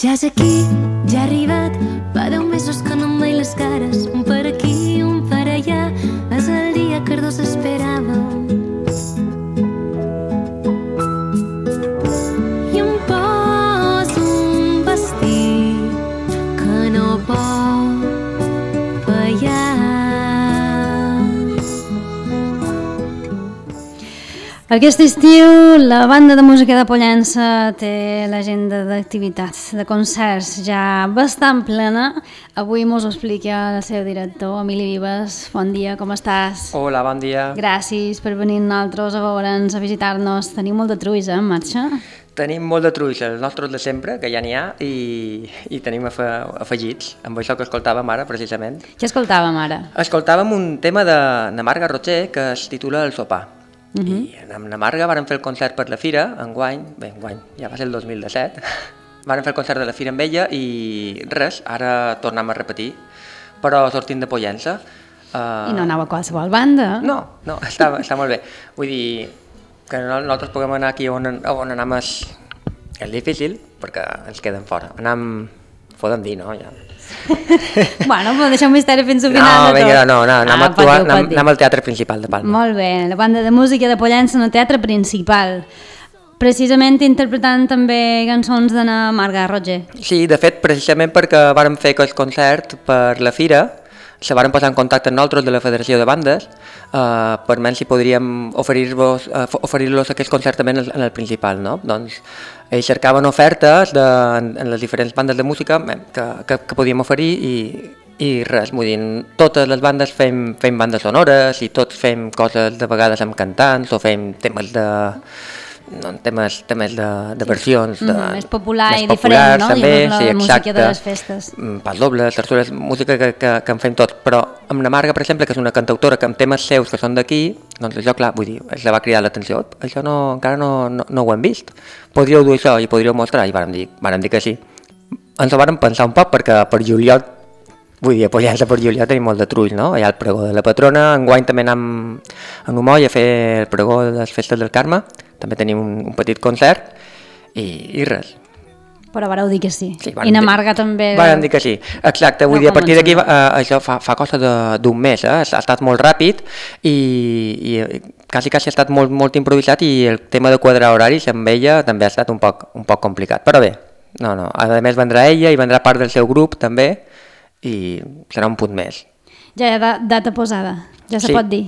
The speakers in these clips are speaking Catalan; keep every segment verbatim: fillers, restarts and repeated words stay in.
Ja és aquí, ja ha arribat, fa deu mesos que no em veig les cares, un per aquí, un per allà, és el dia que els dos esperàvem. I em poso un vestit que no pot fallar. Aquest estiu la banda de música de Pollença té l'agenda d'activitats, de concerts ja bastant plena. Avui mos ho explica el seu director, Emili Vives. Bon dia, com estàs? Hola, bon dia. Gràcies per venir nosaltres a veure'ns, a visitar-nos. Tenim molt de truis, eh, en marxa? Tenim molt de truis, els nostres de sempre, que ja n'hi ha, i, i tenim afe, afegits, amb això que escoltàvem ara, precisament. Què escoltàvem ara? Escoltàvem un tema de, de Marga Roger que es titula El sopar. Uh-huh. I amb la Marga vàrem fer el concert per la Fira, enguany, bé, enguany, ja va ser el dos mil disset, vàrem fer el concert de la Fira amb ella i res, ara tornem a repetir, però sortint de Pollença. Uh... I no anava a qualsevol banda? No, no, està, està molt bé. Vull dir que nosaltres puguem anar aquí on, on anem és, és difícil, perquè ens queden fora. Anem, podem dir, no? Ja. Bueno, però deixem misteri fins al final no, de tot. Vinga, no, no, anem, ah, a actuar, dir, anem, anem al Teatre Principal de Palma. Molt bé, la banda de música de Pollença en el Teatre Principal. Precisament interpretant també cançons de la Marga Roger. Sí, de fet, precisament perquè vàrem fer aquest concert per la Fira, se varen posar en contacte amb nosaltres de la Federació de Bandes eh, per veure si podríem oferir-los eh, oferir-los aquest concert també en el, en el principal, no? Doncs ells cercaven ofertes de, en, en les diferents bandes de música que, que, que podíem oferir i, i res, vull dir, totes les bandes fem, fem bandes sonores i tots fem coses de vegades amb cantants o fem temes de... No, temes, temes de, de versions de, mm, més popular més i populars, diferent, no? També, la sí, música de les festes. Pas dobles, terçures, música que, que, que en fem tot, però amb la Marga, per exemple, que és una cantautora que amb temes seus que són d'aquí, doncs això, clar, vull dir, es va cridar l'atenció, això no, encara no, no, no ho hem vist, podríeu dur això i podríeu mostrar, i vàrem dir, vàrem dir que sí. Ens ho vàrem pensar un poc perquè per juliol, vull dir, a Pollença per juliol tenim molt de trull, no? Hi ha el pregó de la patrona, enguany també anem a Numoll a fer el pregó de les festes del Carme, també tenim un, un petit concert i, i res. Però vareu dir que sí. Sí, I na Marga també... Vàrem dir que sí, exacte. Vull no, dir, a partir d'aquí, eh, això fa, fa cosa d'un mes, eh? ha estat molt ràpid i, i quasi, quasi ha estat molt, molt improvisat i el tema de quadrar horaris amb ella també ha estat un poc, un poc complicat. Però bé, no, no. A més vendrà ella i vendrà part del seu grup també i serà un punt més. Ja hi ha data posada, ja se sí. pot dir.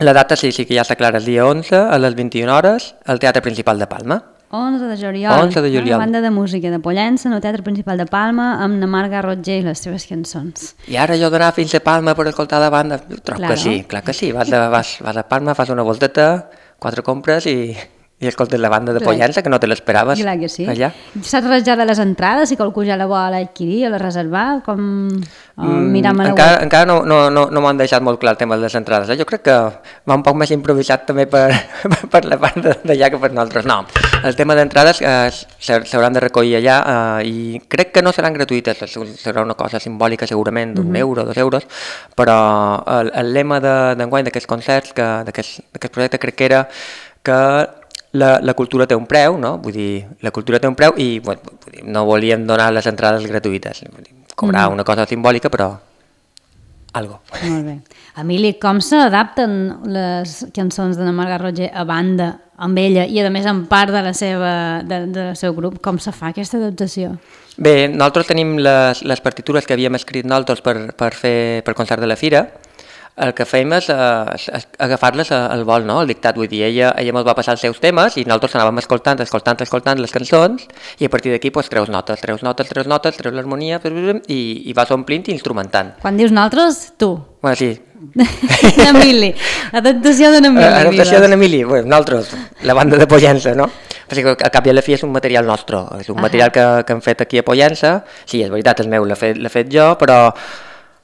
La data sí, sí que ja està clara, el dia onze a les vint-i-una hores al Teatre Principal de Palma. onze de juliol. onze de juliol. La banda de música de Pollença en el Teatre Principal de Palma amb la Marga Roger i les seves cançons. I ara jo d'anar fins a Palma per escoltar la banda, trobo claro. que sí, clar que sí. Vas a, vas, vas a Palma, fas una volteta, quatre compres i... i escoltes la banda de Pollença, que no te l'esperaves Clar que sí. allà. Saps res ja de les entrades, si qualcú ja la vol adquirir o la reservar? Com mm, miram a la encara, web? Encara no, no, no, no m'han deixat molt clar el tema de les entrades. Eh? Jo crec que va un poc més improvisat també per, per la part d'allà que per nosaltres. No, el tema d'entrades eh, s'hauran de recollir allà eh, i crec que no seran gratuïtes, serà una cosa simbòlica segurament d'un mm-hmm. euro, dos euros, però el, el lema d'enguany d'aquests concerts, d'aquest projecte crec que era que La, la cultura té un preu, no? Vull dir, la cultura té un preu i bueno, no volíem donar les entrades gratuïtes. Vull dir, cobrar mm. una cosa simbòlica, però algo. Molt bé. Emili, com s'adapten les cançons de la Marga Roger a banda amb ella i a més en part de la seva, de, del seu grup? Com se fa aquesta adaptació? Bé, nosaltres tenim les, les partitures que havíem escrit nosaltres per, per fer per concert de la Fira. El que fèiem és, és, és agafar-les al vol, no? El dictat, vull dir, ella, ella ens va passar els seus temes i nosaltres anàvem escoltant, escoltant, escoltant les cançons i a partir d'aquí pues, treus notes, treus notes, treus notes, treus l'harmonia i, i vas omplint i instrumentant. Quan dius nosaltres, tu. Bueno, sí. N'Emili, adaptació de n'Emili. Adaptació de n'Emili, bueno, nosaltres, la banda de Pollença, no? Perquè al cap i a la fi és un material nostre, és un ah. material que, que hem fet aquí a Pollença, sí, és veritat, és meu, l'he fet, fet jo, però...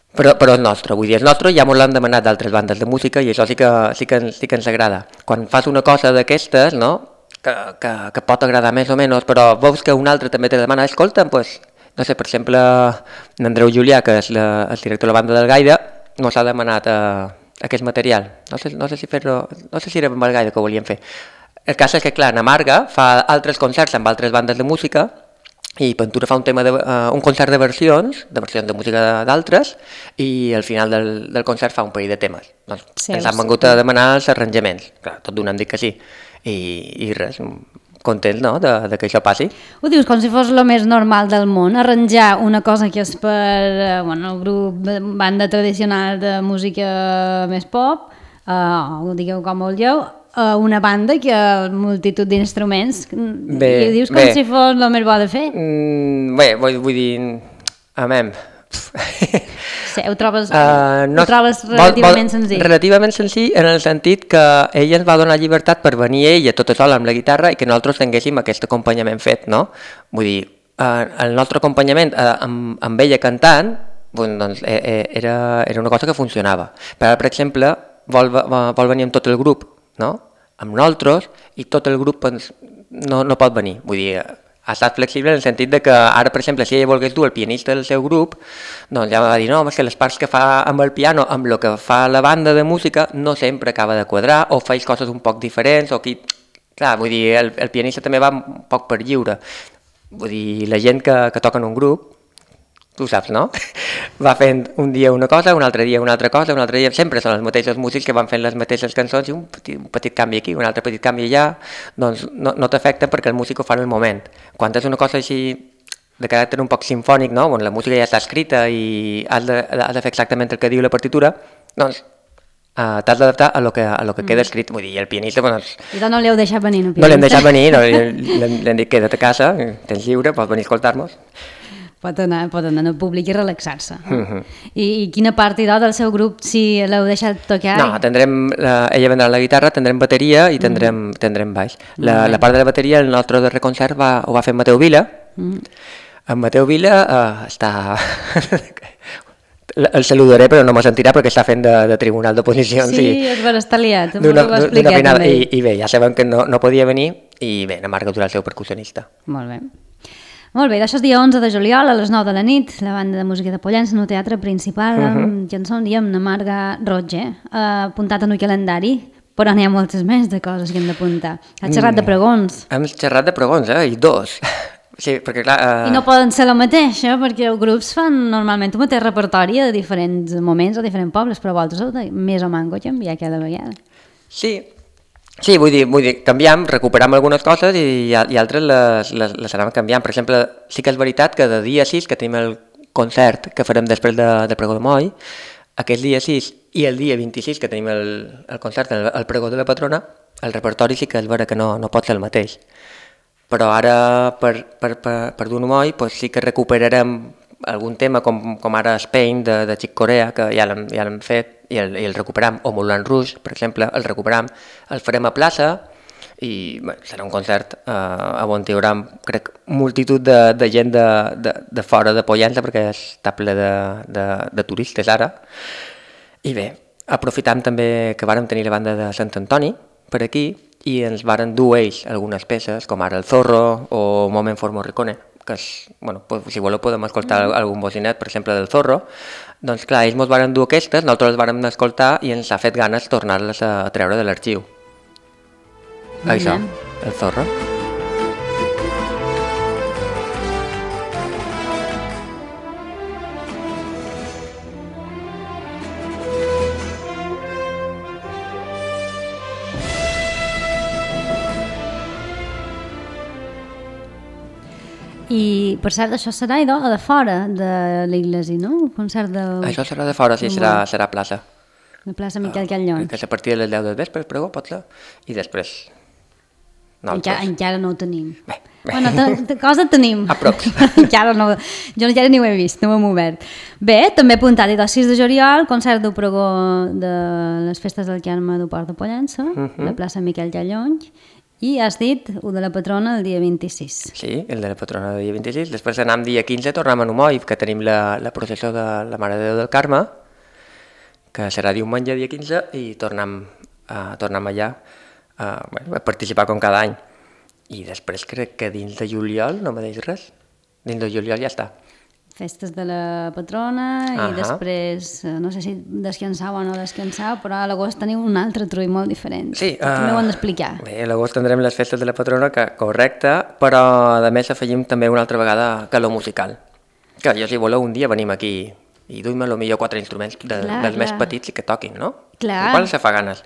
Però, però és nostre, vull dir, és nostre, ja ens l'han demanat d'altres bandes de música i això sí que, sí que, sí que ens agrada. Quan fas una cosa d'aquestes, no? que, que, que pot agradar més o menys, però veus que un altre també te demana, escolta, pues, no sé, per exemple, l'Andreu Julià, que és la, el director de la banda del Gaire, ens ha demanat uh, aquest material. No sé, no sé si fer-ho, no sé si era amb el Gaire que ho volíem fer. El cas és que, clar, na Marga fa altres concerts amb altres bandes de música i Ventura fa un tema de, uh, un concert de versions, de versions de música d'altres, i al final del, del concert fa un parell de temes. Doncs sí, ens han vengut a demanar els arranjaments. Clar, tot d'una hem dit que sí. I, i res, content, no?, de, de que això passi. Ho dius com si fos el més normal del món, arranjar una cosa que és per bueno, el grup de banda tradicional de música més pop, uh, ho digueu com vulgueu, a una banda que ha multitud d'instruments bé, i ho dius com bé. Si fos el més bo de fer. Mm, bé, vull, vull dir... Amem. Sí, ho trobes, uh, no, ho trobes relativament vol, vol, senzill. Relativament senzill en el sentit que ella ens va donar llibertat per venir ella tota sola amb la guitarra i que nosaltres tinguéssim aquest acompanyament fet, no? Vull dir, uh, el nostre acompanyament uh, amb, amb ella cantant bon, doncs, eh, eh, era, era una cosa que funcionava. Per, per exemple, vol, vol venir amb tot el grup, no? Amb nosaltres, i tot el grup doncs, no, no pot venir. Vull dir, ha estat flexible en el sentit de que ara, per exemple, si ella volgués dur el pianista del seu grup, doncs ja va dir, no, és que les parts que fa amb el piano, amb el que fa la banda de música, no sempre acaba de quadrar, o faig coses un poc diferents, o qui... Clar, vull dir, el, el pianista també va un poc per lliure. Vull dir, la gent que, que toca en un grup, tu saps, no? Va fent un dia una cosa, un altre dia una altra cosa, un altre dia... Sempre són els mateixos músics que van fent les mateixes cançons i un petit, un petit canvi aquí, un altre petit canvi allà, doncs no, no t'afecta perquè el músic ho fa en el moment. Quan és una cosa així de caràcter un poc simfònic, no? On la música ja està escrita i has de, has de fer exactament el que diu la partitura, doncs uh, t'has d'adaptar a lo que, a lo que mm. queda escrit. Vull dir, el pianista... Doncs, I doncs no li heu deixat venir, no? No l'hem deixat venir, no, l'hem dit queda't a casa, tens lliure, pots venir a escoltar-nos. Pot anar, pot anar al públic i relaxar-se. Uh -huh. I, I quina part del seu grup si l'heu deixat tocar? No, tindrem, la, ella vendrà la guitarra, tindrem bateria i tindrem, uh -huh. tindrem baix. La, uh -huh. la part de la bateria, el nostre darrer concert va, ho va fer Mateu Vila. Uh -huh. En Mateu Vila uh, està... el saludaré però no me sentirà perquè està fent de, de tribunal d'oposicions. Sí, i... és vera, està liat, m'ho va explicar també. I, I bé, ja sabem que no, no podia venir i bé, na Marga Durà el seu percussionista. Molt bé. Molt bé, d'això és dia onze de juliol a les nou de la nit, la banda de música de Pollença en el teatre principal uh -huh. amb cançons i amb la Marga Roger, eh, apuntat en el calendari, però n'hi ha moltes més de coses que hem d'apuntar. Ha xerrat de pregons. Hem xerrat de pregons, eh? I dos. Sí, perquè clar... Uh... I no poden ser la mateixa, perquè els grups fan normalment un mateix repertori a diferents moments o diferents pobles, però vosaltres heu de més o manco canviar cada vegada. Sí, Sí, vull dir, vull dir, canviam, recuperam algunes coses i, i altres les, les, les anem canviant. Per exemple, sí que és veritat que de dia sis, que tenim el concert que farem després de, de Pregó de Moll, aquest dia sis i el dia vint-i-sis, que tenim el, el concert, el, el Pregó de la Patrona, el repertori sí que és vera que no, no pot ser el mateix. Però ara, per, per, per, per Dur Moll, pues sí que recuperarem algun tema com, com ara Spain de, de Chick Corea, que ja l'hem ja fet, i el, i el recuperam, o Moulin Rouge, per exemple, el recuperam, el farem a plaça, i bé, serà un concert eh, on hi haurà, crec, multitud de, de gent de, de, de fora de Pollença, perquè està ple de, de, de turistes ara. I bé, aprofitam també que vàrem tenir la banda de Sant Antoni per aquí, i ens varen dur ells algunes peces, com ara el Zorro o Moment for Morricone, que és, bueno, pues, si voleu podem escoltar mm. algun bocinet, per exemple, del Zorro. Doncs clar, ells ens varen dur aquestes, nosaltres les vàrem escoltar i ens ha fet ganes tornar-les a, a treure de l'arxiu. Mm. Això, el Zorro. I, per cert, això serà idò, de fora de l'Iglesi, no? Un concert de... Això serà de fora, sí, serà, serà a plaça. La plaça Miquel Callons. Que és a partir de les deu del vespre, pregó, pot ser, i després... Encara, encara no ho tenim. Bé, bé. Bueno, te, cosa tenim. A prop. encara no, jo encara ni ho he vist, no ho hem obert. Bé, també apuntat, el sis de juliol, concert del pregó de les festes del Carme del Port de Pollença, uh -huh. la plaça Miquel Callons, i has dit el de la patrona el dia vint-i-sis. Sí, el de la patrona el dia vint-i-sis. Després anem dia quinze, tornem a Numoll, que tenim la, la processó de la Mare de Déu del Carme, que serà diumenge dia quinze, i tornem, uh, tornem allà uh, bueno, a participar com cada any. I després crec que dins de juliol no me deix res. Dins de juliol ja està. festes de la patrona i uh -huh. després, no sé si descansau o no descansau, però a l'agost teniu un altre trull molt diferent. Sí. Uh, També ho hem d'explicar. Bé, a l'agost tindrem les festes de la patrona, que correcte, però a més afegim també una altra vegada calor musical. Que jo, si voleu, un dia venim aquí i duim a lo millor quatre instruments de, clar, dels clar. més petits i que toquin, no? Clar. Igual se fa ganes.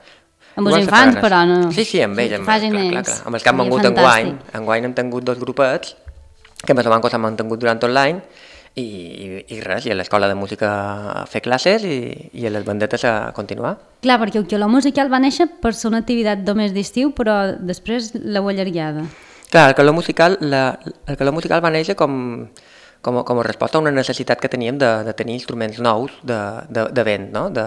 Amb els infants, però no. Sí, sí, amb ells. Amb, clar, clar, clar. Amb els que hem vengut enguany. Enguany hem tingut dos grupets que més o menys s'han mantingut durant tot l'any i, i, i res, i a l'escola de música a fer classes i, i a les bandetes a continuar. Clar, perquè el calor musical va néixer per ser una activitat només d'estiu, però després l'heu allargada. Clar, el calor musical, la, el calor musical va néixer com... Com a, com a resposta a una necessitat que teníem de, de tenir instruments nous de, de, de vent, no? de,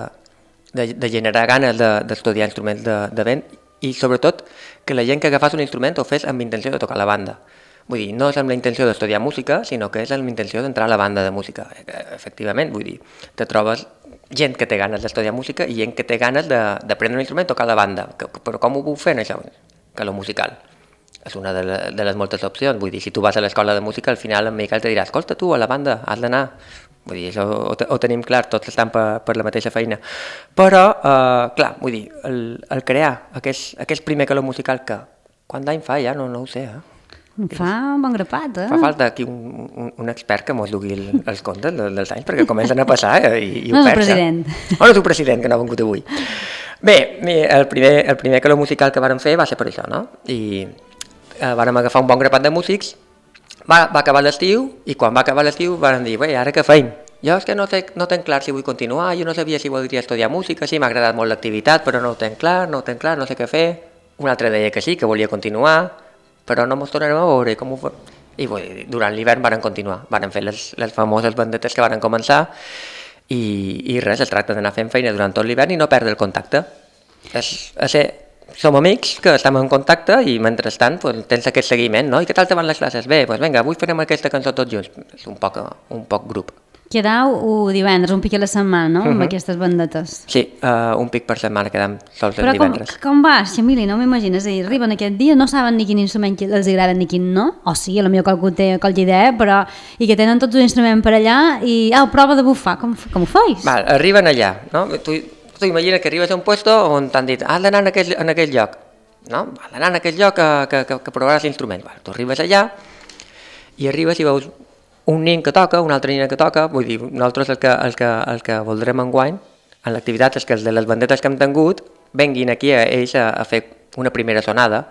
de, de generar ganes d'estudiar de, instruments de, de vent i sobretot que la gent que agafés un instrument ho fes amb intenció de tocar la banda. Vull dir, no és amb la intenció d'estudiar música, sinó que és amb la intenció d'entrar a la banda de música. Efectivament, vull dir, te trobes gent que té ganes d'estudiar música i gent que té ganes d'aprendre un instrument i tocar la banda. Que, però com ho puc fer, això? Que lo musical. És una de, la, de les moltes opcions. Vull dir, si tu vas a l'escola de música, al final en Miquel te dirà, escolta tu, a la banda, has d'anar. Vull dir, això ho, ho tenim clar, tots estan per, per la mateixa feina. Però, eh, clar, vull dir, el, el crear aquest, aquest primer calor musical que, quant d'any fa ja, no, no ho sé, eh? Fa un bon grapat, eh? Fa falta aquí un, un, un expert que mos dugui el, els comptes dels anys, perquè comencen a passar eh, i, i ho no, perds. No, president. Oh, no, tu president, que no ha vengut avui. Bé, el primer, el primer calor musical que vàrem fer va ser per això, no? I Uh, vàrem agafar un bon grapat de músics, va, va acabar l'estiu i quan va acabar l'estiu vàrem dir, bé, ara què feim? Jo és que no, te, no tenc clar si vull continuar, jo no sabia si voldria estudiar música, sí, m'ha agradat molt l'activitat, però no ho tenc clar, no ho tenc clar, no sé què fer. Un altre deia que sí, que volia continuar, però no mos tornarem a veure com ho fa. I bé, durant l'hivern vàrem continuar, vàrem fer les, les famoses bandetes que vàrem començar i, i res, es tracta d'anar fent feina durant tot l'hivern i no perdre el contacte. És, és ser, som amics que estem en contacte i mentrestant pues, tens aquest seguiment, no? I què tal te van les classes? Bé, doncs vinga, avui farem aquesta cançó tots junts. És un poc, un poc grup. Quedau divendres, un pic a la setmana, no? Uh -huh. Amb aquestes bandetes. Sí, uh, un pic per setmana quedam sols el divendres. Però com, com va, Xamili? No m'imagines. Arriben aquest dia, no saben ni quin instrument els agrada ni quin no, o sí, potser qualcú té qualque idea, però i que tenen tots un instrument per allà i, ah, prova de bufar, com, com ho feis? Val, arriben allà, no? Tu, tu imagina que arribes a un puesto on t'han dit has d'anar en aquell, en aquell lloc, no? Has d'anar en aquell lloc que, que, que, que provaràs l'instrument. Val, tu arribes allà i arribes i veus un nin que toca, un altre nin que toca, vull dir, nosaltres el que, el que, el que voldrem enguany en l'activitat és que els de les bandetes que hem tingut venguin aquí a ells a, a fer una primera sonada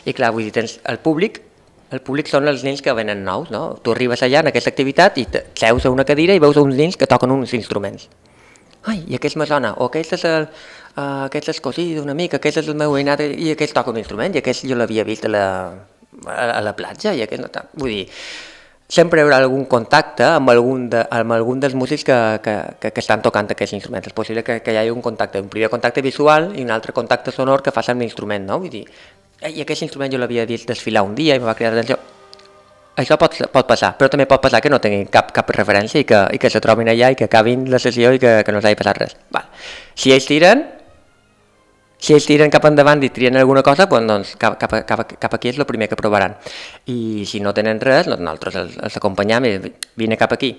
i clar, vull dir, tens el públic, el públic són els nens que venen nous, no? Tu arribes allà en aquesta activitat i seus a una cadira i veus uns nens que toquen uns instruments. Ai, i aquest me sona, o aquest és el, uh, aquest és cosí d'un amic, aquest és el meu veïnat i aquest toca un instrument i aquest jo l'havia vist a la, a, a la platja i aquest no toca. Vull dir, sempre hi haurà algun contacte amb algun, de, amb algun dels músics que, que, que, que estan tocant aquests instruments. És possible que, que hi hagi un contacte, un primer contacte visual i un altre contacte sonor que fas amb l'instrument, no? Vull dir, i aquest instrument jo l'havia vist desfilar un dia i em va cridar l'atenció. Això pot, pot passar, però també pot passar que no tinguin cap, cap referència i que, i que se trobin allà i que acabin la sessió i que, que no s'hagi passat res. Val. Si ells tiren, si ells tiren cap endavant i trien alguna cosa, doncs cap, cap, cap, cap aquí és el primer que provaran. I si no tenen res, doncs nosaltres els, els acompanyam i vine cap aquí.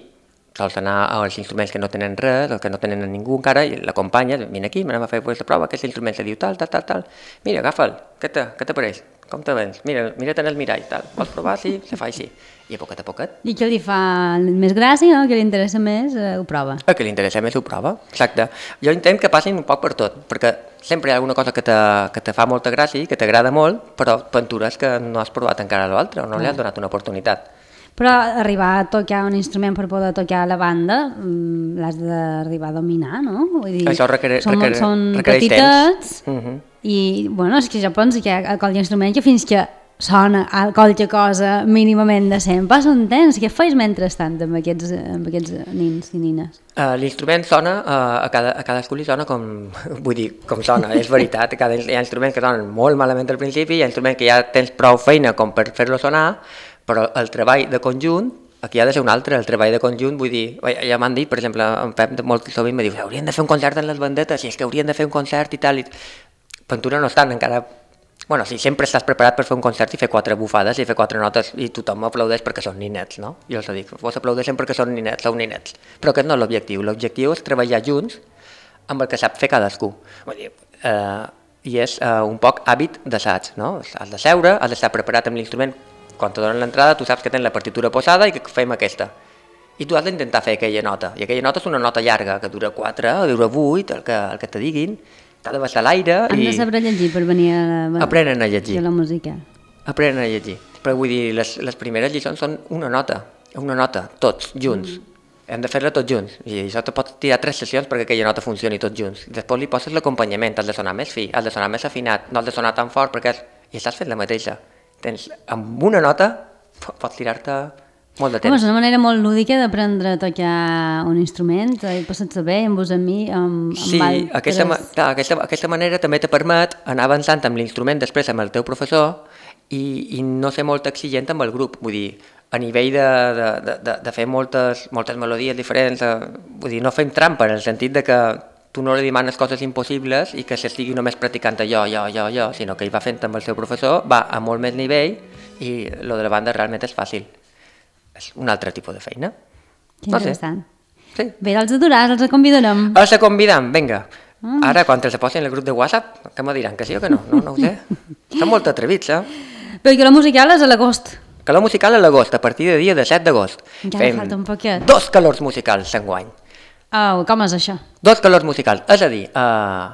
Sols anar als instruments que no tenen res, o que no tenen ningú encara, i l'acompanyes, vine aquí, anem a fer aquesta prova, aquest instrument se diu tal, tal, tal, tal. Mira, agafa'l, què t'apareix? Com te vens? Mira, mira't en el mirall, tal. Vols provar? Sí, se fa així. I a poquet a poquet. I què li fa més gràcia, no? Que li interessa més, eh, ho prova. El que li interessa més ho prova, exacte. Jo intent que passin un poc per tot, perquè sempre hi ha alguna cosa que te, que te fa molta gràcia i que t'agrada molt, però pintures que no has provat encara l'altre o no li has donat una oportunitat. Però arribar a tocar un instrument per poder tocar la banda, l'has d'arribar a dominar, no? Vull dir, això requereix, són, requereix, són requereix petitets temps. Uh-huh. I, bueno, és que jo penso que a qualque instrument que fins que sona a qualque cosa mínimament decent, passa un temps. Què feis mentrestant amb aquests, amb aquests nins i nines? Uh, l'instrument sona, uh, a, cada, a cadascú li sona com, vull dir, com sona, és veritat. Cada, hi ha instruments que sonen molt malament al principi, hi ha instruments que ja tens prou feina com per fer-lo sonar, però el treball de conjunt, aquí ha de ser un altre, el treball de conjunt, vull dir, ja m'han dit, per exemple, en Pep molt sovint me diu, haurien de fer un concert en les bandetes, i és que haurien de fer un concert i tal, i Ventura no estan encara Bueno, sí, sempre estàs preparat per fer un concert i fer quatre bufades i fer quatre notes i tothom aplaudeix perquè són ninets, no? Jo els dic, vos aplaudeixen perquè són ninets, sou ninets. Però aquest no és l'objectiu. L'objectiu és treballar junts amb el que sap fer cadascú. Vull dir, eh, i és eh, un poc hàbit d'assaig, no? Has de seure, has d'estar preparat amb l'instrument. Quan te donen l'entrada, tu saps que tens la partitura posada i que fem aquesta. I tu has d'intentar fer aquella nota. I aquella nota és una nota llarga, que dura quatre, o dura vuit, el que, el que te diguin. T'ha de baixar l'aire i... Han de saber llegir per venir a la... Aprenen a llegir. A la música. Aprenen a llegir. Però vull dir, les, les primeres lliçons són una nota, una nota, tots, junts. Mm. Hem de fer-la tots junts. I això te pot tirar tres sessions perquè aquella nota funcioni tots junts. Després li poses l'acompanyament, has de sonar més fi, has de sonar més afinat, no has de sonar tan fort perquè és... i estàs fent la mateixa. Tens, amb una nota pots tirar-te molt de temps. Home, és una manera molt lúdica d'aprendre a tocar un instrument, i passar-se bé amb vos, amb mi, amb, amb sí, altres... aquesta, clar, aquesta, aquesta manera també te permet anar avançant amb l'instrument després amb el teu professor i, i no ser molt exigent amb el grup. Vull dir, a nivell de, de, de, de, de fer moltes, moltes melodies diferents, eh, vull dir, no fem trampa en el sentit de que tu no li demanes coses impossibles i que s'estigui només practicant allò, jo, jo, jo, sinó que ell va fent amb el seu professor, va a molt més nivell i lo de la banda realment és fàcil. És un altre tipus de feina. Que interessant. No sé. Sí. Bé, els adorars, els convidarem. Els convidam, vinga. Mm. Ara, quan els posin en el grup de WhatsApp, que me diran que sí o que no? No, no ho sé. Estan molt atrevits, eh? Però que la musical és a l'agost. Calor musical a l'agost, a partir de dia de set d'agost. Ja Fem falta un poquet. Dos calors musicals enguany. Oh, com és això? Dos calors musicals, és a dir, uh,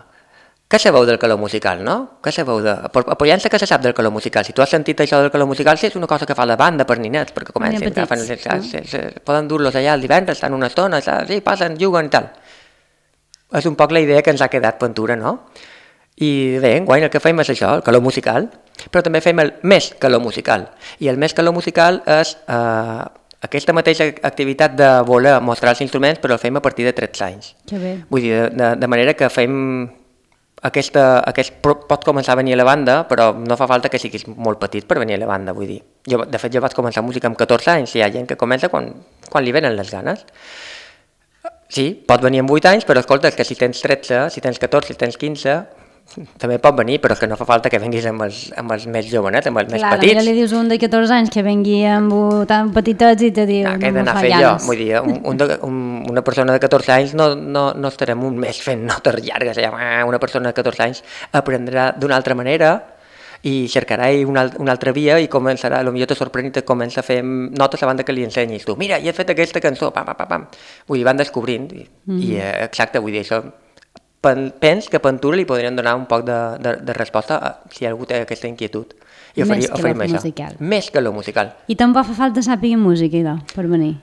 què sabeu del calor musical, no? Què sabeu de... Apoyant-se que se sap del calor musical. Si tu has sentit això del calor musical, sí, és una cosa que fa la banda per ninets, perquè comencen, petits, agafen, no? se, se, se, poden dur-los allà el divendres, estan una estona, sí, passen, juguen i tal. És un poc la idea que ens ha quedat Ventura, no? I bé, enguany el que fem és això, el calor musical, però també fem el més calor musical. I el més calor musical és eh, aquesta mateixa activitat de voler mostrar els instruments, però el fem a partir de tretze anys. Que bé. Vull dir, de, de manera que fem... Aquesta, aquest pot començar a venir a la banda, però no fa falta que siguis molt petit per venir a la banda, vull dir. Jo, de fet, jo vaig començar música amb catorze anys, i hi ha gent que comença quan, quan li venen les ganes. Sí, pot venir amb vuit anys, però escolta, és que si tens tretze, si tens catorze, si tens quinze, també pot venir, però és que no fa falta que venguis amb els, amb els més jovenets, amb els Clar, més petits. Clar, li dius un de catorze anys que vengui amb tan petitets i te diu, ah, no me fa fer llanes. Jo, vull dir, un, un de, un, una persona de catorze anys no, no, no estarem un mes fent notes llargues, una persona de catorze anys aprendrà d'una altra manera i cercarà una, una altra via i començarà, potser te sorprèn i te comença a fer notes abans que li ensenyis tu. Mira, ja he fet aquesta cançó, pam, pam, pam. Vull dir, van descobrint i, mm. i exacte, vull dir, això pens que a Ventura li podrien donar un poc de, de, de resposta a, si algú té aquesta inquietud. I oferir, Més que oferim lo això. musical. Més que lo musical. I tampoc fa falta sàpiga música, idò, per venir.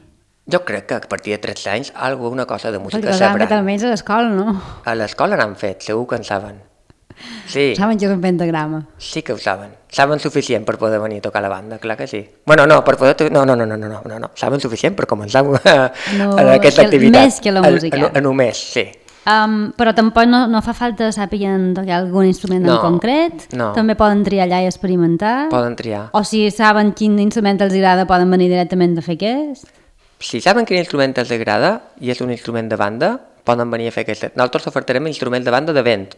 Jo crec que a partir de tretze anys alguna cosa de música Perquè sabran. que almenys a l'escola, no? A l'escola n'han fet, segur que en saben. Sí. Saben que és un pentagrama. Sí que ho saben. Saben suficient per poder venir a tocar la banda, clar que sí. Bueno, no, per poder... No, no, no, no, no, no, no. Saben suficient per començar a, no, a aquesta que, activitat. Més que la música. A, a, a només, sí. Um, però tampoc no, no fa falta saber tocar algun instrument no, en concret. No. També poden triar allà i experimentar. Poden triar. O si saben quin instrument els agrada, poden venir directament a fer aquest. Si saben quin instrument els agrada i és un instrument de banda, poden venir a fer aquest. Nosaltres ofertarem instruments de banda de vent.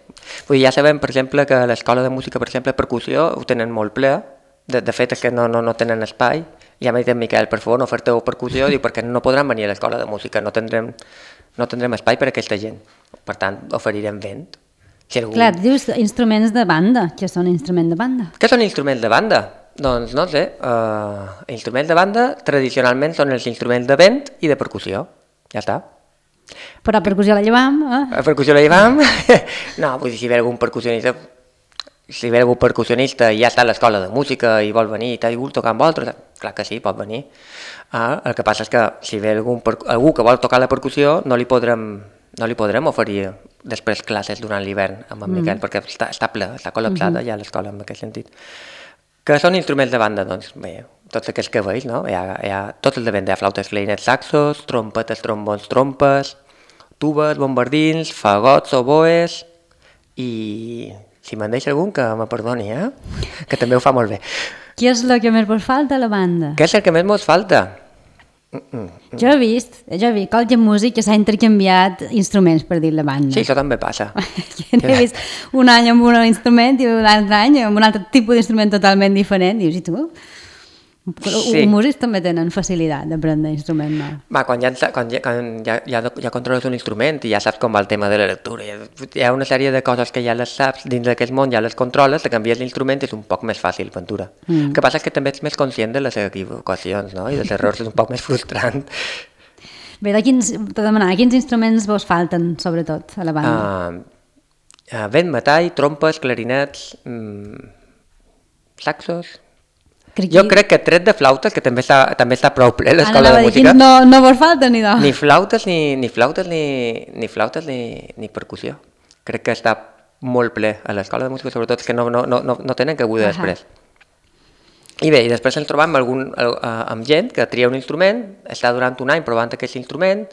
Vull dir, ja sabem, per exemple, que a l'escola de música, per exemple, percussió, ho tenen molt ple. De, de fet, és que no, no, no tenen espai. Ja m'ha dit en Miquel, per favor, no oferteu percussió, diu, perquè no podran venir a l'escola de música, no tindrem, no tindrem espai per a aquesta gent. Per tant, oferirem vent. Si algú... Clar, dius instruments de banda. Què són instruments de banda? Què són instruments de banda? Doncs no sé, uh, instruments de banda tradicionalment són els instruments de vent i de percussió. Ja està. Però percussió la llevam, eh? A percussió la llevam? No, vull dir, si ve algun percussionista, si ve algun percussionista i ja està a l'escola de música i vol venir i t'ha dit tocar amb vosaltres, clar que sí, pot venir. Ah, el que passa és que si ve algun, algú que vol tocar la percussió no li podrem, no li podrem oferir després classes durant l'hivern amb en Miquel, mm. perquè està, està ple, està col·lapsada mm-hmm. ja l'escola en aquest sentit. Que són instruments de banda, doncs, bé, tots aquests que veus, no? Hi ha, hi ha tots els de vent, hi ha flautes, clarinets, saxos, trompetes, trombons, trompes, tubes, bombardins, fagots, oboes i si me'n deixa algun que me perdoni, eh? Que també ho fa molt bé. Què és el que més vos falta a la banda? Què és el que més mos falta? Mm, mm. Jo he vist, jo he vist College Music que s'ha intercanviat instruments per dir la banda. Sí, això també passa. Jo n'he vist un any amb un instrument i un altre any amb un altre tipus d'instrument totalment diferent. I dius, i tu? Sí. Els músics també tenen facilitat d'aprendre instrument nou. Va, quan, ja, quan, ja, quan ja, ja, ja controles un instrument i ja saps com va el tema de la lectura, hi ha una sèrie de coses que ja les saps dins d'aquest món, ja les controles, te canvies l'instrument és un poc més fàcil, Ventura. Mm. El que passa és que també ets més conscient de les equivocacions, no? I dels errors és un poc més frustrant. Bé, de quins, te demanava, quins instruments vos falten, sobretot, a la banda? Uh, uh, vent, metall, trompes, clarinets, mm, saxos... Crec Jo crec que tret de flautes, que també està, també està prou ple l'escola de música. No, no vos falta ni de... Ni flautes, ni, ni flautes, ni, ni flautes, ni, ni percussió. Crec que està molt ple a l'escola de música, sobretot que no, no, no, no tenen cabuda uh -huh. després. I bé, i després ens trobam amb, algun, amb gent que tria un instrument, està durant un any provant aquest instrument,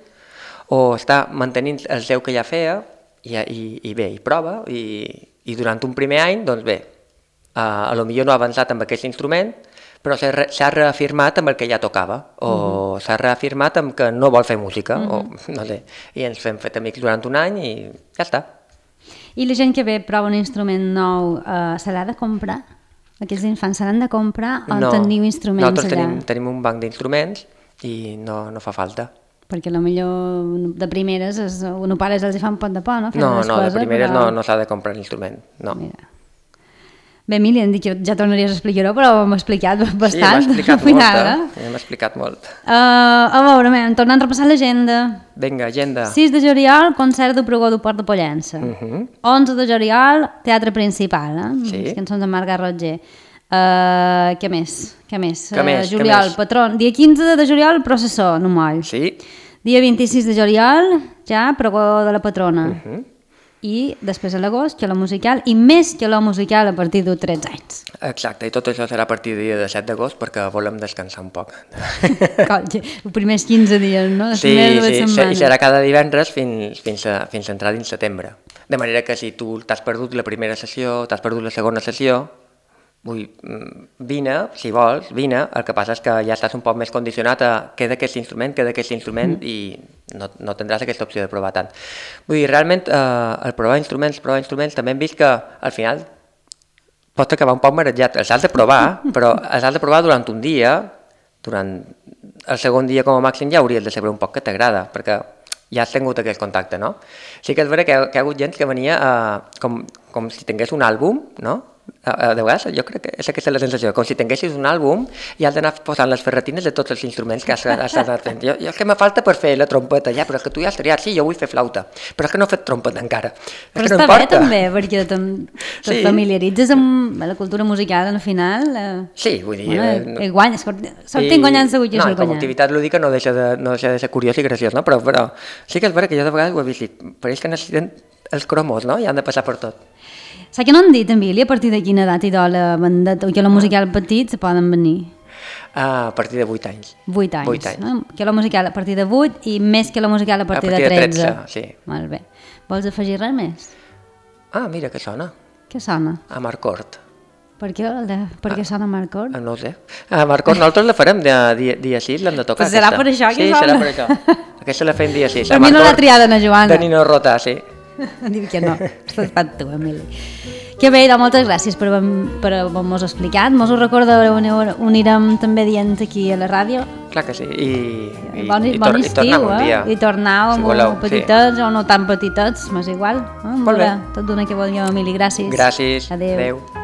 o està mantenint el seu que ja feia, i, i, i bé, i prova, i, i durant un primer any, doncs bé, a, a lo millor no ha avançat amb aquest instrument, però s'ha reafirmat amb el que ja tocava, o uh-huh. s'ha reafirmat amb que no vol fer música, uh-huh. o no sé, i ens hem fet amics durant un any i ja està. I la gent que ve prova un instrument nou, eh, se l'ha de comprar? Aquests infants se l'han de comprar o no, teniu instruments allà? Nosaltres tenim, tenim un banc d'instruments i no, no fa falta. Perquè potser de primeres es, un pares els hi fa un pot de por, no? Fent no, no, coses, de primeres però... no, no s'ha de comprar l'instrument, no. Mira. Bé, Emili, hem dit que ja tornaries a explicar-ho, però m'ha explicat bastant. Sí, m'ha explicat final, molt, eh? m'ha explicat molt. Uh, a veure, man, tornant a repassar l'agenda. Vinga, agenda. sis de juliol, concert del Pregó del Port de Pollença. Uh -huh. onze de juliol, teatre principal, eh? Sí. Les cançons de Marga Roger. Uh, què més? Què més? Què més? Uh, juliol, Què més? patron. Dia quinze de juliol, processó, no moll. Sí. Dia vint-i-sis de juliol, ja, Pregó de la patrona. Uh -huh. I després a l'agost, calor musical, i més calor musical a partir de tretze anys. Exacte, i tot això serà a partir del dia de set d'agost perquè volem descansar un poc. Colla, els primers quinze dies, no? Les sí, sí, sí, i serà cada divendres fins, fins, a, fins a entrar dins setembre. De manera que si tu t'has perdut la primera sessió, t'has perdut la segona sessió, vull, vine, si vols, vine, el que passa és que ja estàs un poc més condicionat a queda aquest instrument, queda aquest instrument mm. i no, no tindràs aquesta opció de provar tant. Vull dir, realment, eh, el provar instruments, provar instruments, també hem vist que al final pots acabar un poc marejat. Els has de provar, però els has de provar durant un dia, durant el segon dia com a màxim ja hauries de saber un poc que t'agrada, perquè ja has tingut aquest contacte, no? Sí que és vera que, que hi ha hagut gent que venia eh, com, com si tingués un àlbum, no? De vegades jo crec que és aquesta la sensació, com si tinguessis un àlbum i has d'anar posant les ferretines de tots els instruments que has, has anat fent. Jo, jo és que me falta per fer la trompeta, ja, però és que tu ja has triat, sí, jo vull fer flauta, però és que no he fet trompeta encara. Però és està que no bé importa. també, perquè te sí. familiaritzes amb la cultura musical al final. Eh, sí, vull dir... Bueno, eh, guanyes, sortim guanyant segur que no, això és com a guanyar. activitat lúdica no deixa de, no deixa de ser curiós i graciós, no? Però, però sí que és vera que jo de vegades ho he vist, pareix que necessiten els cromos, no? I han de passar per tot. Saps que no han dit, Emili, a partir de quina edat i la bandet o que la musical petit se poden venir? Ah, a partir de vuit anys. vuit anys. vuit anys. No? Que la musical a partir de vuit i més que la musical a partir, a partir de tretze. De tretze, sí. Molt bé. Vols afegir res més? Ah, mira, que sona. Què sona? A Marcort. Per què, per què ah, sona Marcort? No ho sé. A Marcort nosaltres la farem dia, dia, dia sis, l'hem de tocar. Pues serà aquesta. Per això que sí, sona? Sí, serà per això. Aquesta la fem dia sis. Per mi no l'ha triada, na Joana. De Nino Rota, sí. Diu que no, estàs pat tu, Emili. Que bé, doncs moltes gràcies per, per haver-nos explicat. Mos ho recordareu, ho anirem també dient aquí a la ràdio. Clar que sí, i, i, bon, i, bon tor estiu, i tornem un dia. Eh? I tornau si amb petitets sí. o no tan petitets, m'és igual. Eh? Molt bé. Tot d'una que vol jo, Emili, gràcies. Gràcies, adéu. adéu.